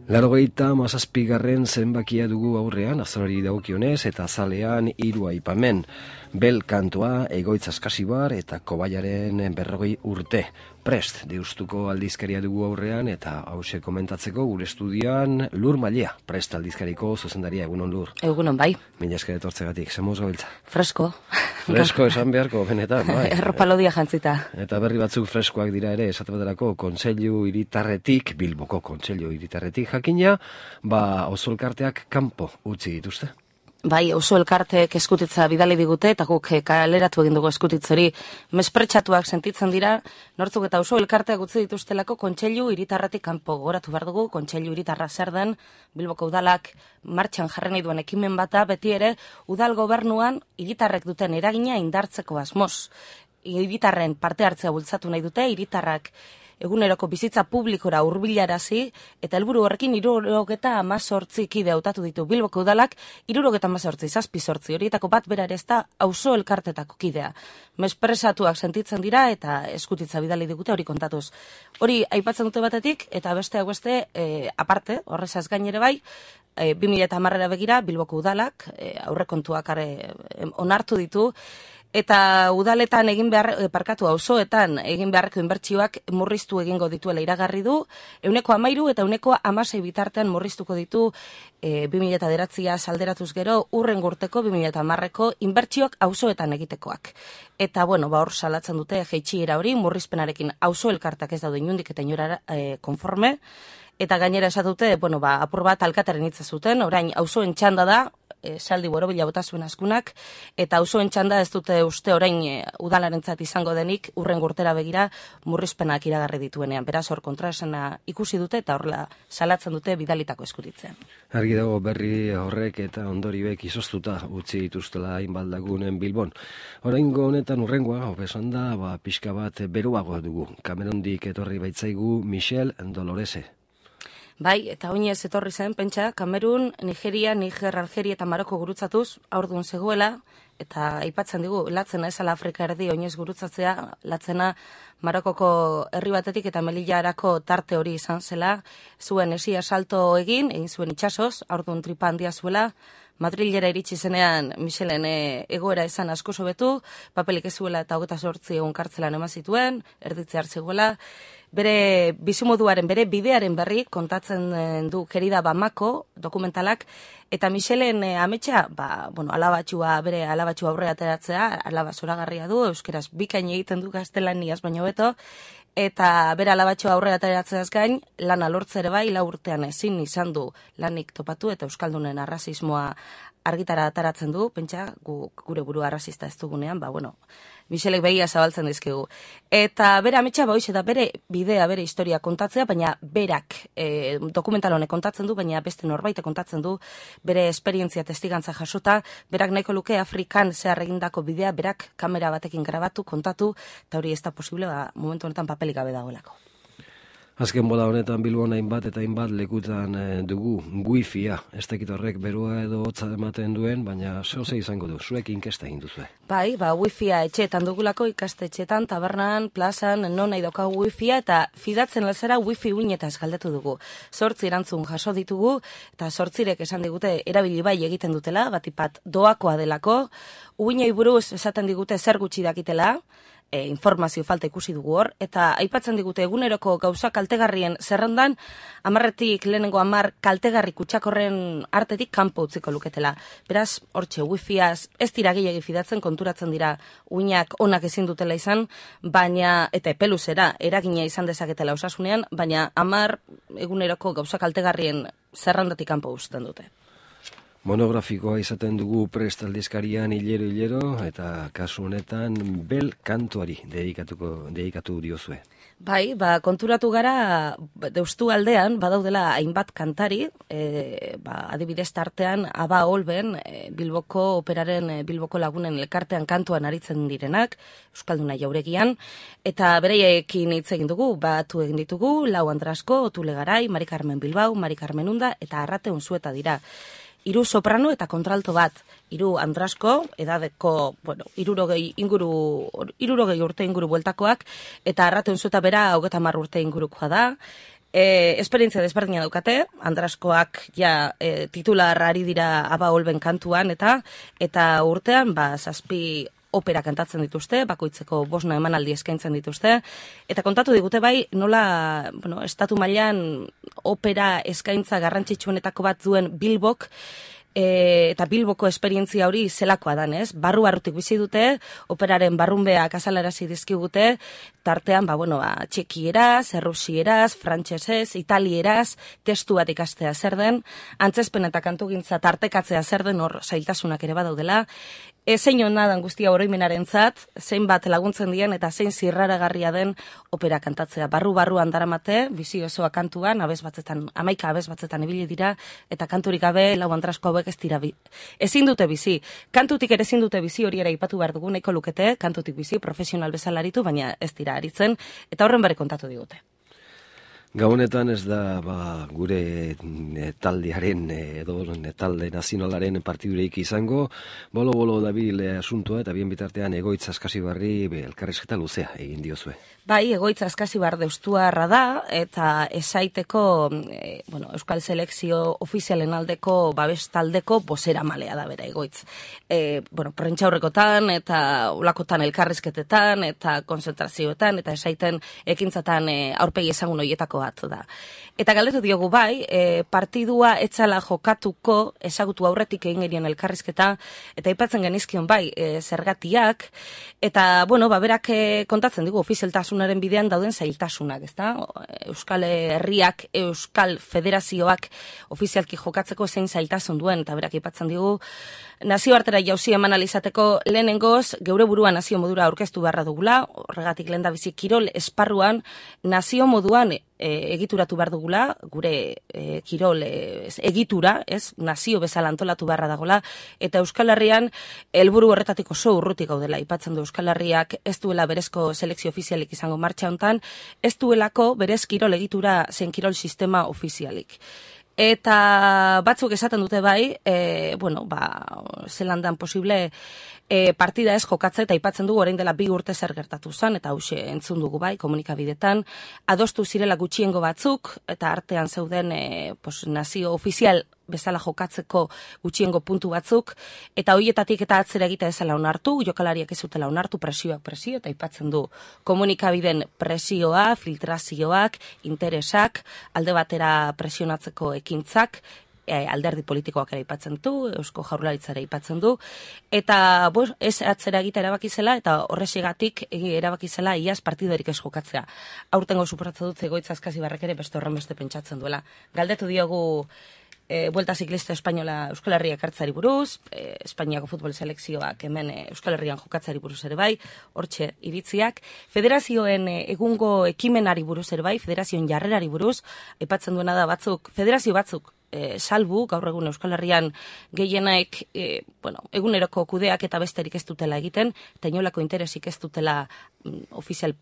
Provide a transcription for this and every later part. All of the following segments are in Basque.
Laurogeita zenbakia dugu aurrean, azalari dagokionez eta azalean 3 aipamen. Bel kantoa, Egoitz Askasibar eta Kobaiaren 40 urte. Prest, deustuko aldizkaria dugu aurrean eta hause komentatzeko gure estudian Lur Malia, Prest aldizkariko zuzendaria. Egunon, Lur? Egunon, bai. Mila esker etortzegatik, zemoz gabiltza? Fresko. Fresko esan beharko, benetan, bai. Erropalodia jantzita. Eta berri batzuk freskoak dira ere, esate baterako Kontseilu Hiritarretik, Bilboko Kontseilu Hiritarretik jakina, oso elkarteak kanpo utzi dituzte. Bai, oso elkarteek eskutitza bidali digute, eta guk kaleratu egin dugu eskutitzori mespretsatuak sentitzen dira, nortzuk eta oso elkarteak utzi dituztelako Kontseilu Hiritarretik kanpo. Goratu behar dugu, Kontseilu Hiritarra zer den, Bilboko udalak martxan jarri nahi duen ekimen bata, beti ere udal gobernuan hiritarrek duten eragina indartzeko asmoz. Hiritarren parte hartzea bultzatu nahi dute, hiritarrak eguneroko bizitza publikora hurbilarazi eta helburu horrekin 78 kide hautatu ditu Bilboko udalak, 78 7 horietako bat bera ere ez da auzo elkartetako kidea. Mespresatuak sentitzen dira eta eskutitza bidali digute hori kontatuz. Hori aipatzen dute batetik eta besteak beste aparte, horrezaz gain ere bai, 2010era begira Bilboko udalak aurrekontuak onartu ditu. Eta udaletan auzoetan egin beharreko inbertsioak murriztu egingo dituela iragarri du, 13% eta 16% bitartean murriztuko ditu 2009 salderatuz gero urrengo urteko 2010ko inbertsioak auzoetan egitekoak. Eta hor salatzen dute jaitsiera hori murrizpenarekin auzo elkartak ez daude inondik eta inora konforme. Eta gainera esatute, apur bat alkataren hitza zuten, orain auzoen txanda da, saldi borobila bota zuen askunak, eta auzoen txanda ez dute uste orain udalarentzat izango denik urrengo urtera begira murrizpenak iragarri dituenean. Beraz hor kontraesana ikusi dute eta horrela salatzen dute bidalitako eskutitzean. Argi dago berri horrek eta ondorioek izoztuta utzi dituztela hainbat lagunen Bilbon. Oraingo honetan urrengoa, hobesan da, pixka bat beruago dugu. Kamerundik etorri baitzaigu Michel Dolorese. Bai, eta oinez etorri zen, pentsa, Kamerun, Nigeria, Niger, Algeria eta Maroko gurutzatuz, aurdun zegoela, eta aipatzen digu, latzena ezala Afrika erdi oinez gurutzatzea, latzena Marokoko herri batetik eta Melillarako tarte hori izan zela, zuen esia salto egin zuen itxasoz, aurdun tripa handia zuela, Madrilera iritsi zenean Michelen egoera izan asko sobetu, papelik ez zuela eta 28 egun kartzelan eman zituen, erditze hartzegoela, bere bizimoduaren, bere bidearen berri kontatzen du Kerida Bamako dokumentalak, eta Michelen ametsa, bere alabatxua aurre ateratzea, alaba zoragarria du, euskeraz bikain egiten du gaztelaniaz baino beto, eta bere alabatxua aurre ateratzeaz gain, lana lortzere bai, 4 urtean ezin izan du lanik topatu eta euskaldunen arrazismoa argitara ataratzen du, pentsa, gure burua arrazista ez dugunean, Michelek begia zabaltzen dizkigu. Eta bere ametsa hoize da bere bidea, bere historia kontatzea, baina berak dokumental honek kontatzen du, baina beste norbait kontatzen du bere esperientzia testigantza jasota, berak nahiko luke Afrikan zehar egindako bidea, berak kamera batekin grabatu, kontatu, eta hori ez da posible, momentu honetan papelik gabe dagoelako. Azken bola honetan Bilbon hainbat eta hainbat lekutan dugu wifi-a. Ez dakit horrek berua edo hotza ematen duen, baina zehose izango du, zuek inkesta egin duzue. Bai, wifi-a etxeetan dugulako, ikastetxeetan, tabernan, plazan, non nahi daukagu wifi-a, eta fidatzen lazera wifi uinetaz galdetu dugu. 8 erantzun jaso ditugu, eta 8 esan digute erabili bai egiten dutela, batipat doakoa delako, uinei buruz esaten digute zer gutxi dakitela, informazio falta ikusi dugu hor, eta aipatzen digute eguneroko gauza kaltegarrien zerrendan, 10 lehenengo 10 kaltegarri kutsakorren artetik kanpo utziko luketela. Beraz, hortxe, wifiaz ez dira gehiagi fidatzen, konturatzen dira uinak onak ezin dutela izan, baina, eta epeluzera, eragina izan dezaketela osasunean, baina 10 eguneroko gauza kaltegarrien zerrendatik kanpo uzten dute. Monografikoa izaten dugu Prest aldizkarian hilero, eta kasu honetan bel kantuari dedikatu diozue. Bai, konturatu gara deustu aldean, badaudela hainbat kantari, adibidez tartean Aba Olben, Bilboko operaren Bilboko lagunen elkartean kantuan aritzen direnak, Euskalduna jauregian, eta bereiekin hitz egin dugu, batu egin ditugu, Lau Andrasko, Otule Garai, Mari Carmen Bilbao, Mari Carmen Unda, eta Arrate Unzueta dira. 3 soprano eta kontralto bat, 3 Andrasko, edadeko, 60 urte inguru bueltakoak, eta Arrate Unzueta bera 30 urte ingurukoa da, Esperientzia desberdina daukate, Andraskoak titular ari dira Aba Olben kantuan, eta urtean, 7 opera kantatzen dituzte, bakoitzeko 5 emanaldi eskaintzen dituzte, eta kontatu digute bai, nola, estatu mailan opera eskaintza garrantzitsuenetako bat duen Bilbok, eta Bilboko esperientzia hori zelakoa dan, ez? Barru-barrutik bizi dute, operaren barrunbeak azalarazi dizkigute, tartean, txekieraz, errusieraz, frantsesez, italieraz, testu bat ikastea zer den, antzezpen eta kantugintza tartekatzea zer den, hor zailtasunak ere badaudela, zein hona dan guztia oroimenarentzat, zein bat laguntzen dien eta zein zirraragarria den opera kantatzea. Barru-barruan daramate, bizi osoa kantuan, 11 abez batzetan ibili dira, eta kanturik gabe lau Andrasko hauek ez dira ezin dute bizi. Kantutik ere ezin dute bizi, hori ere aipatu behar dugu, nahiko lukete, kantutik bizi, profesional bezala aritu, baina ez dira aritzen, eta horren bare kontatu digute. Gabonetan ez da gure taldearen edo talde nazionalaren partidureik izango, bolo dabil asuntua eta bien bitartean Egoitz Askasibarri elkarrizketa luzea egin diozue. Bai, Egoitz Askasibar deustuarra da, eta esaiteko Euskal Selekzio ofizialen aldeko babes taldeko bozeramalea da bera Egoitz. Prentxaurrekotan eta ulakotan elkarrizketetan eta konzentrazioetan eta esaiten ekintzatan aurpegi ezagun horietako bat da. Eta galdetu diogu bai, partidua etzala jokatuko ezagutu aurretik egin genien elkarrizketa, eta aipatzen genizkion bai, zergatiak, eta berak kontatzen digu ofizialtasunaren bidean dauden zailtasunak, ezta? Euskal Herriak, Euskal Federazioak ofizialki jokatzeko zein zailtasun duen, eta berak aipatzen digu nazioartera jauzi eman alizateko lehenengoz, geure burua nazio modura aurkeztu beharra dugula, horregatik lehendabizi kirol esparruan nazio moduan egituratu behar dugula, gure kirol egitura, nazio bezala antolatu beharra dagola, eta Euskal Herrian helburu horretatik oso urrutik gaudela. Aipatzen du Euskal Herriak ez duela berezko selekzio ofizialik izango martxa hontan, ez duelako berez kirol egitura zen kirol sistema ofizialik. Eta batzuk esaten dute bai, zelan dan posible partida ez jokatze, eta aipatzen dugu orain dela 2 urte zer gertatu zen, eta hause entzun dugu bai, komunikabidetan, adostu zirela gutxiengo batzuk, eta artean zeuden nazio ofizial bezala jokatzeko gutxiengo puntu batzuk, eta horietatik eta atzera egita ezala onartu, jokalariak ez zutela onartu, presioak presio, eta aipatzen du komunikabiden presioa, filtrazioak, interesak, alde batera presionatzeko ekintzak, alderdi politikoak ere aipatzen du, Eusko Jaurlaritzara aipatzen du, eta ez atzera egita erabaki zela, eta horregatik erabaki zela iaz partidarik ez jokatzea. Aurtengo suporatza dut Egoitz Askasibarrek ere beste horrenbeste pentsatzen duela. Galdetu diogu Vuelta Ziklista Espainola Euskal Herriak hartzari buruz, Espainiako futbol selekzioak hemen Euskal Herrian jokatzari buruz ere bai, hortxe iritziak, federazioen egungo ekimenari buruz ere bai, federazioen jarrerari buruz, aipatzen duena da federazio batzuk, salbu, gaur egun Euskal Herrian gehienaek, eguneroko kudeak eta besterik ez dutela egiten, eta inolako interesik ez dutela ofizial,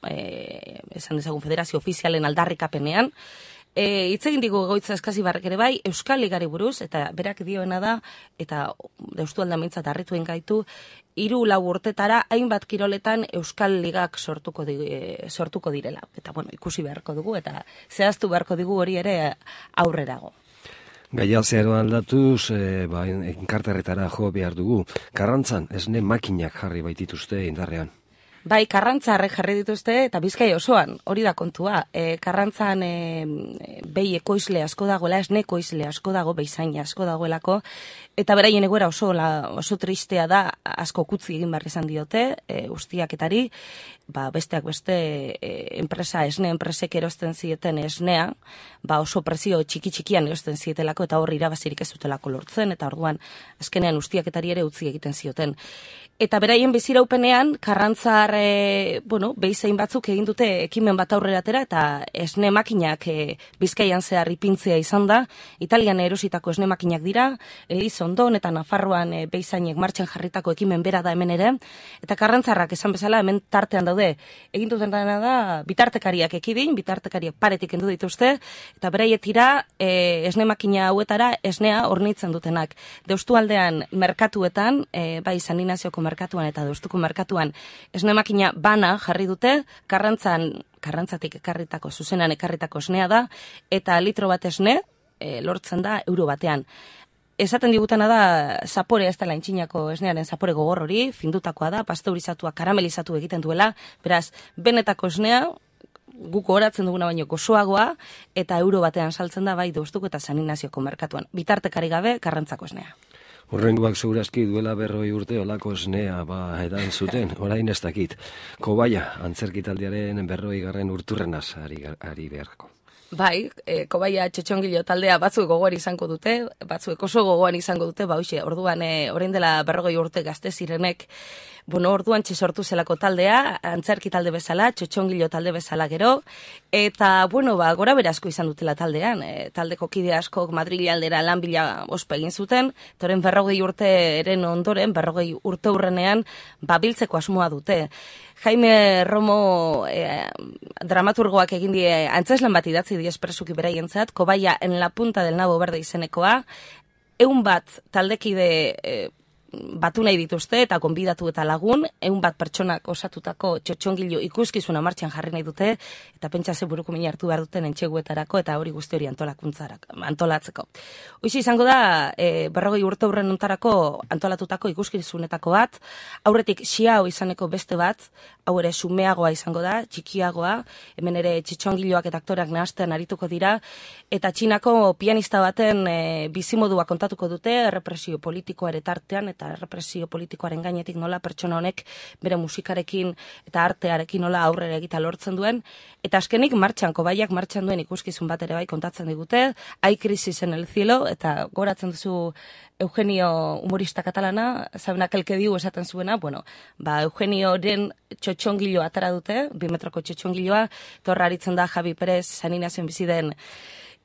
esan dezagun federazio ofizialen aldarrikapenean. Hitz egin digu Egoitz Askasibarrek ere bai, Euskal Ligari buruz, eta berak dioena da, eta deustu aldamintzat harrituen gaitu, 3-4 urtetara hainbat kiroletan Euskal Ligak sortuko direla. Eta ikusi beharko dugu, eta zehaztu beharko dugu hori ere aurrerago. Gaia zeharo aldatuz, enkarterretara jo behar dugu. Karrantzan, esne makinak jarri baitituzte indarrean. Bai, Karrantzarrek jarri dituzte, eta Bizkai osoan, hori da kontua. Karrantzan behi ekoizle asko dagoela, esne ekoizle asko dago, behizaina asko dagoelako, eta beraien egoera oso tristea da, asko kutzi egin behar izan diote, ustiaketari, besteak beste esne enpresek erosten zieten esnea, oso prezio txiki-txikian erosten zietelako, eta hor irabazirik ez dutelako lortzen, eta orduan azkenean ustiaketari ere utzi egiten zioten. Eta beraien biziraupenean, Karrantzar, behizein batzuk egin dute ekimen bat aurrera atera, eta esne makinak Bizkaian zehar ipintzea izan da, Italian erositako esne makinak dira, Elizondon eta Nafarroan behizainek martxan jarritako ekimen bera da hemen ere, eta Karrantzarrak esan bezala hemen tartean daude, egin duten dena da, bitartekariak ekidin, bitartekariak paretik endu dituzte, eta beraietira esne makina hauetara esnea hornitzen dutenak. Deustu aldean merkatuetan, bai San Ignazioko merkatuan eta Deustuko merkatuan esne makina bana jarri dute, Karrantzan Karrantzatik ekarritako, zuzenan ekarritako esnea da, eta litro bat esne lortzen da euro batean. Esaten digutena da, zapore ez dela intxinako esnearen zapore gogor hori, findutakoa da, pasteurizatua, karamelizatu egiten duela, beraz, benetako esnea, guk horatzen duguna baino gozoagoa, eta euro batean saltzen da bai Deustuko eta San Ignazioko merkatuan. Bitartekari gabe, Karrantzako esnea. Horrengoak segurazki duela 40 urte olako esnea edan zuten, orain ez dakit. Kobaia, antzerkitaldiaren 40. urturrenaz ari beharko. Bai, Kobaia txotxongilo taldea batzuek gogoan izango dute, batzuek oso gogoan izango dute, orduan orain dela 40 urte gazte zirenek, orduan sortu zelako taldea, antzerki talde bezala, txotxongilo talde bezala gero, eta, gora berazko izan dutela taldean, taldeko kide askok Madrili aldera lan bila ospa egin zuten, toren 40 urteren ondoren, 40 urte hurrenean, biltzeko asmoa dute. Jaime Romo dramaturgoak egin die antzeslan bat idatzi die espresuki beraientzat, Kobaia en la punta del nabo berde izenekoa, 100 taldekide batu nahi dituzte eta konbidatu eta lagun, 100 pertsonak osatutako txotxongilo ikuskizuna martxan jarri nahi dute, eta pentsa ze buruko mina hartu behar duten entxeguetarako eta hori guzti hori antolatzeko. Hoize izango da, 40 urte hurren ontarako antolatutako ikuskizunetako bat, aurretik Xiao izaneko beste bat, hau ere sumeagoa izango da, txikiagoa, hemen ere txotxongiloak eta aktoreak nahastean arituko dira, eta Txinako pianista baten bizimodua kontatuko dute, errepresio politikoa ere tartean, eta errepresio politikoaren gainetik nola pertsona honek bere musikarekin eta artearekin nola aurrera egita lortzen duen, eta azkenik Kobaiak martxan duen ikuskizun bat ere bai kontatzen digute, Hay crisis en el cielo, eta goratzen duzu Eugenio humorista katalana, zabenak elke diu esaten zuena, Eugenioren txotxongilo atara dute, 2 metroko txotxongiloa, torra aritzen da Javi Perez, San Ignazion bizi den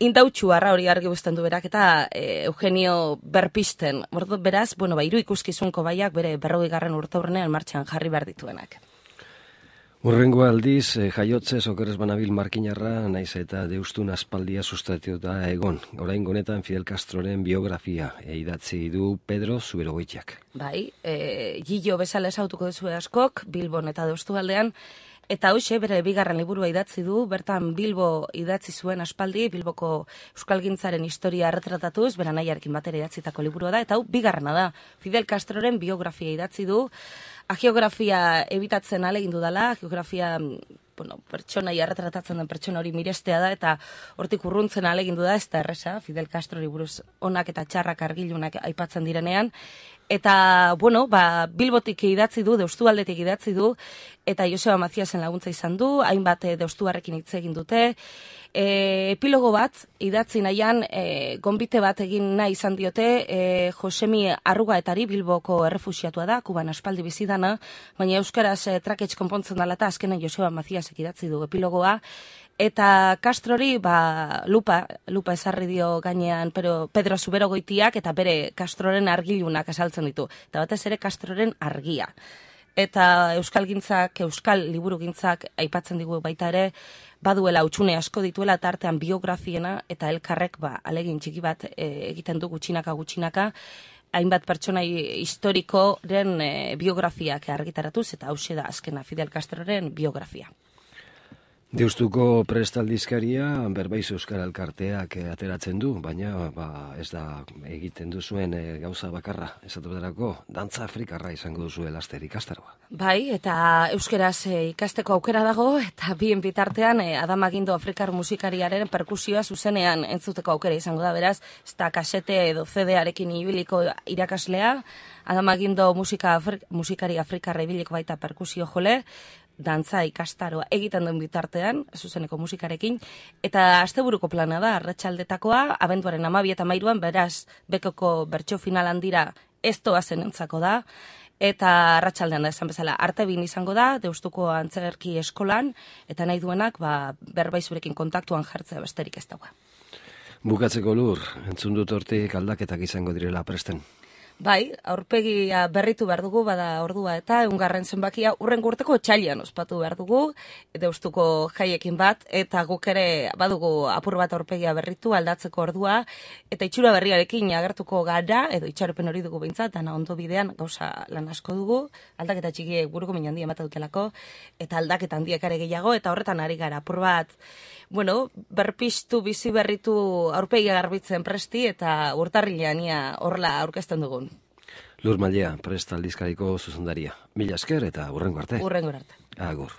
indautxuarra hori argi guztan du berak, eta Eugenio berpisten. Beraz, 3 ikuskizun Kobaiak bere 40. urte hurrenean martxan jarri behar dituenak. Hurrengo aldiz, jaiotzez okerez banabil markinarra, naiz eta Deustun aspaldia sustatuta egon. Orain honetan Fidel Castroren biografia idatzi du Pedro Zuberogoitiak. Bai, Gillo bezala esautuko duzu askok, Bilbon eta Deustu aldean, eta hoxe bere 2. liburua idatzi du, bertan Bilbo idatzi zuen aspaldi, Bilboko euskalgintzaren historia erretratatuz, bera nahiarekin batera idatzitako liburua da, eta hau 2. da, Fidel Castroren biografia idatzi du, geografia ebitatzen alegindu dela, geografia pertsonai erretratatzen den pertsona hori mirestea da, eta hortik urruntzen alegindu da, ez da erresa, Fidel Castrori buruz onak eta txarrak argilunak aipatzen direnean, eta, Bilbotik idatzi du, Deustualdetik idatzi du, eta Joseba Maciasen laguntza izan du, hainbat Deustuarrekin hitz egin dute, epilogo bat, idatzi nahian, gonbite bat egin nahi izan diote, Josemi Arrugaetari, Bilboko errefusiatua da, Kuban aspaldi bizidana, baina euskaraz traketx konpontzen dela eta azkenen Joseba Maciasek idatzi du epilogoa, eta Castrori, lupa esarri dio gainean Pedro Zuberogoitiak, eta bere Castroren argilunak esaltzen ditu, eta batez ere Castroren argia. Eta euskal liburugintzak aipatzen digu baita ere, baduela utxune asko dituela, eta artean biografiena, eta elkarrek alegin txiki bat egiten du gutxinaka, hainbat pertsonai historikoren biografiak argitaratuz, eta hause da azkena Fidel Castroren biografia. Deustuko prestaldizkaria Berbaiz Euskara Elkarteak ateratzen du, baina ez da egiten duzuen gauza bakarra, esatuterako dantza afrikarra izango duzue laster ikastaroa. Bai, eta euskeraz ikasteko aukera dago, eta bien bitartean Adama Gindo afrikar musikariaren perkusioa zuzenean entzuteko aukera izango da, beraz, ez da kasete edo CD-arekin ibiliko irakaslea, Adama Gindo musikari afrikarra ibiliko baita perkusio jole, dantza ikastaroa egiten duen bitartean, zuzeneko musikarekin, eta asteburuko plana da, arratsaldetakoa, abenduaren 12 eta 13, beraz, bekoko bertso final handira ez doazen entzako da, eta arratsaldean da esan bezala, Artebin izango da, Deustuko antzerki eskolan, eta nahi duenak, Berbaizurekin kontaktuan jartzea besterik ez dagoa. Bukatzeko Lur, entzun dut hortik aldaketak izango direla presten. Bai, aurpegia berritu behar dugu, bada ordua eta eungarren zenbakia urrengo urteko otsailean ospatu behar dugu, deustuko jaiekin bat, eta guk ere badugu apur bat aurpegia berritu aldatzeko ordua, eta itxura berriarekin agertuko gara, edo itxaropen hori dugu behintzat, dana ondo bidean gauza lan asko dugu, aldaketa txikiek buruko min handia ematen dutelako, eta aldaketa handiak ere gehiago, eta horretan ari gara apur bat, bueno, berpiztu, bizi berritu aurpegia garbitzen presti, eta urtarrilean ia horla aurkezten dugun. Lur Mailea, Prest aldizkariko zuzendaria. Mila esker eta hurrengo arte. Hurrengo arte. Agur.